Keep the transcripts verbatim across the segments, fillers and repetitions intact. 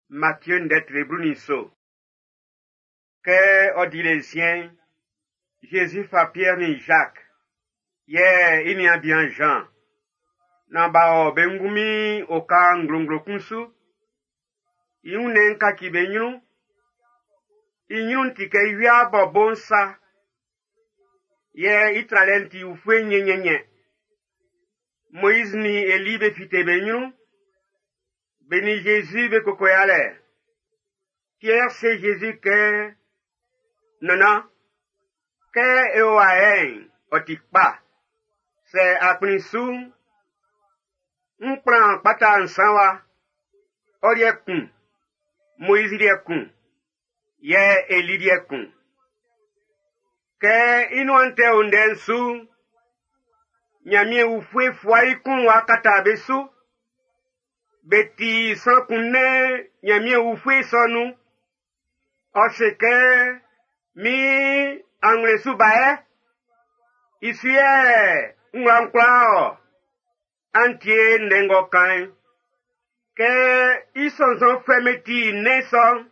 Matthieu ndɛ tre blu nin nso. Kɛ ɔ di le nsiɛn'n, Jésus fa Pierre nin Jacques, yɛ i niaan bian Jean, naan b'a ɔ be ngunmin oka nglonglo kun su. I wunnɛn'n kaci be ɲrun. I ɲrun'n ti kɛ wia b'ɔ bo'n sa. Yɛ i tralɛ'n ti ufue nyɛnyɛnyɛ. Moïse nin Eli be fite be ɲrun. Be nin Jésus be koko yalɛ. Pierre se Jésus kɛ, Nannan, kɛ e o wa yɛ'n, ɔ ti kpa. Sɛ a kplin su'n, n kplan kpata nsan wa. Ɔ liɛ kun, Moïse liɛ kun, yɛ Eli liɛ kun. Kɛ i nuan tɛ o ndɛ'n su'n, Ɲanmiɛn ufue fua i kun wa kata be su. Be ti sran kun nɛn Ɲanmiɛn ufue sɔ nun. Ɔ se kɛ, min anwlɛn su ba yɛ. I su yɛ n wla'n kwlaa ɔ. An tie ndɛ ng'ɔ kan'n. Kɛ i sɔnnzɔnfuɛ'm be ti nnɛn sɔ'n,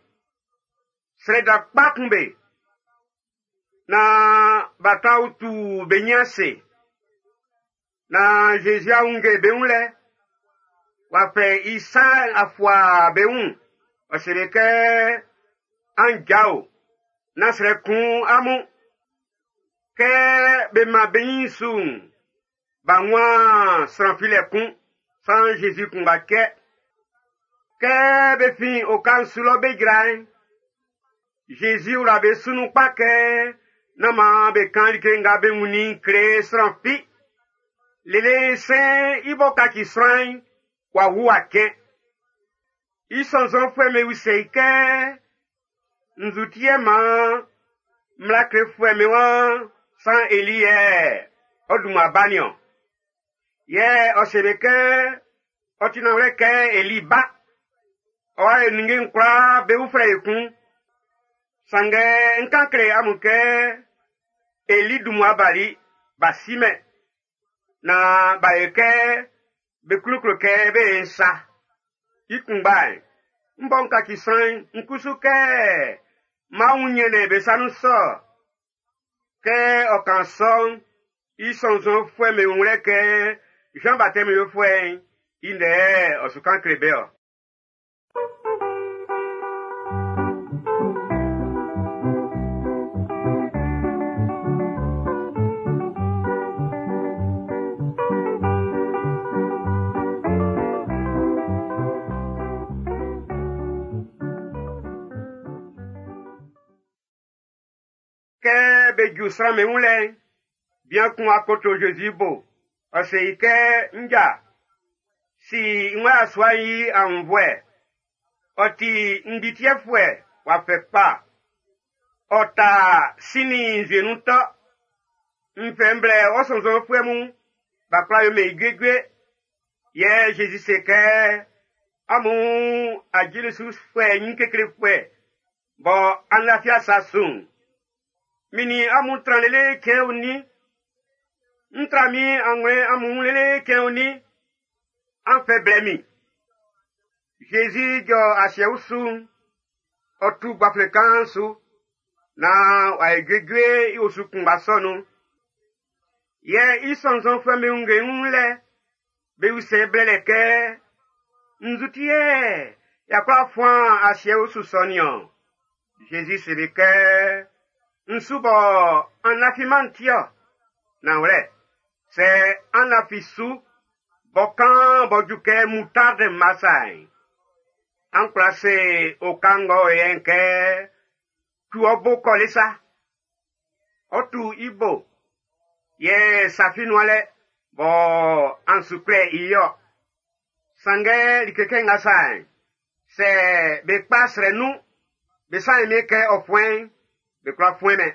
srɛ dan kpa kun be. Naan b'a tran utu be ɲin ase. Naan Jésus a wunnge be wun lɛ. W'a fɛ i sa'n a fua be wun. Ɔ se be kɛ, an jao, nán srɛ kun amun. Kɛ be man be ɲin su'n, b'a wun sran filɛ kun, san Jésus kunngba cɛ. Kɛ be fin oka'n su lɔ be jra'n, Jésus wla be su nun kpa kɛ nán maan be kan like nga be wunnin kle sran fi. Lele sɛn i b'ɔ kaci sran'n, w'a wu w'a cɛn. I sɔnnzɔnfuɛ'm be usɛ i kɛ, nzu ti yɛ maan mmla klefuɛ'm be waan san Eli yɛ ɔ dun mmua ba nin-ɔn. Yɛ ɔ se be kɛ ɔ ti nanwlɛ kɛ Eli ba. Ɔ wa yɛ ninnge'n kwlaa be uflɛ ekun. Sanngɛ n kan kle amun kɛ Eli dun mmua bali, b'a simɛn. Na b'a yɛ kɛ be kluklu kɛ be ye nsa. I kunngba'n, n bɔ n kaci sran'n, n kusu kɛ m'an wun ɲrɛnnɛn be sa nun sɔ. Kɛ ɔ kan sɔ'n, i sɔnnzɔnfuɛ'm be wun lɛ kɛ Jean Baptiste yofuɛ'n i ndɛ ɔ su kan kle be ɔ. Kɛ be ju sran'm be wun lɛ'n, bian kun akoto Jésus bo. Ɔ se i kɛ, nja, si n wa yasua'n i aunnvuɛ. Ɔ ti ngbitiɛfuɛ w'a fɛ kpa. Ɔ ta sin nin nzue nun tɔ. N fɛ n blɛ ɔ sɔnnzɔnfuɛ mun, b'a kwla yomɛn i juejue. Yɛ Jésus se kɛ, amun ajulisufuɛ ɲin keklefuɛ, bɔ an lafi asa su'n. Min nin amun tran lele cɛn onin. N tra min anwlɛn amun wun lele cɛn onin. An fɛ blɛ min. Jésus jɔ asiɛ usu'n, ɔ tu gbaflɛn kan'n su, naan w'a yi juejue i osu kunngba sɔ nun. Yɛ i sɔnnzɔnfuɛ'm be wunnge wun lɛ, be usɛ blɛlɛ kɛ, nzu ti yɛ y'a kwla fuan asiɛ usu sɔ nin-ɔn? Jésus se be kɛ, n su bɔ an lafiman ti-ɔ. Nanwlɛ, sɛ an lafi su, bɔ kan bɔ ju kɛ moutarde mma sa'n, an kwla se oka ng'ɔ o yɛ'n kɛ, tu ɔ bo kɔ le sa. Ɔ tu i bo, yɛ safi nuan lɛ, bɔ an su kwlɛ i yɔ. Sanngɛ like kɛ nga sa'n, sɛ be kpa srɛ nun, be sa'n mi kɛ ɔ fuɛn'n, be kwla fuɛn mɛn.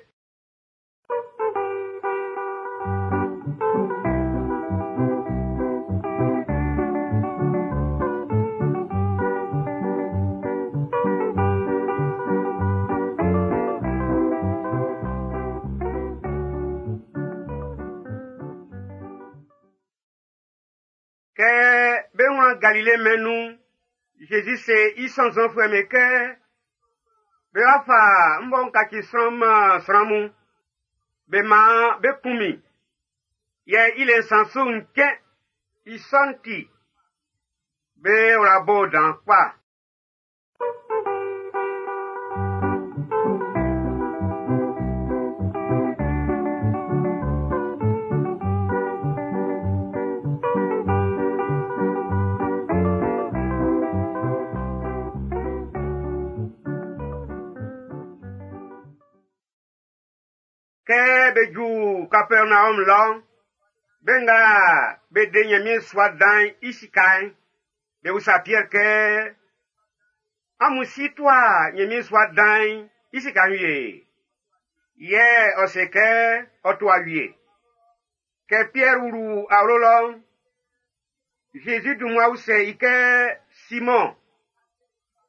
Kɛ be wlan Galile mɛn'n nun'n, Zezi se i sɔnnzɔnfuɛ'm be kɛ be wa fa n bɔ n kaci sran man sran mun. Be maan be kun min. Yɛ i le nsan su'n cɛn. I sɔ'n ti, be wla bo dan kpa. Kɛ be ju Kapɛrnaɔm lɔ'n, be nga be de Ɲanmiɛn sua dan'n i sika'n, be usa Piɛr kɛ, amun si tua Ɲanmiɛn sua dan'n i sika'n wie? Yɛ ɔ se kɛ ɔ tua wie. Kɛ Piɛr wlu awlo lɔ'n, Zezi dun mmua usɛ i kɛ, Simɔn,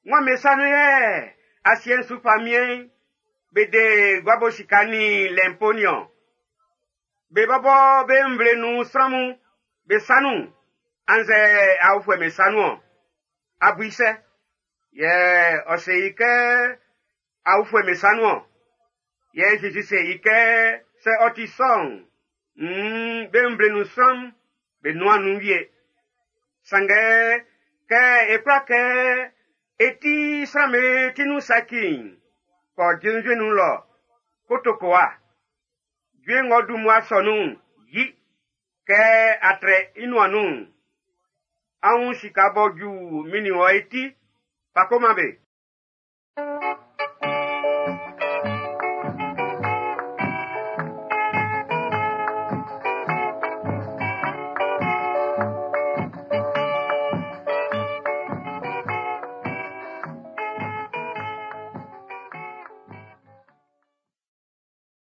wan be sa nun yɛ asiɛ'n su famiɛn'n be de guabo sika nin lɛnpo niɔn? Be bɔbɔ be nvle nun sran mun be sa nun, annzɛ aofuɛ'm be sa nun-ɔn? A bu i sɛ? Yɛ ɔ se i kɛ aofuɛ'm be sa nun-ɔn. Yɛ Zezi se i kɛ sɛ ɔ ti sɔ'n, nn be nvle nun sran'm be nuan nun wie. Sanngɛ kɛ e kwla kɛ e ti sran'm be ti nun saci'n, kɔ jenvie nun lɔ, ko tokowa. Jue ng'ɔ dun mmua sɔ nun'n, yi. Kɛ a trɛ i nuan nun'n, á wún sika b'ɔ ju min nin wɔ e ti, fa ko man be.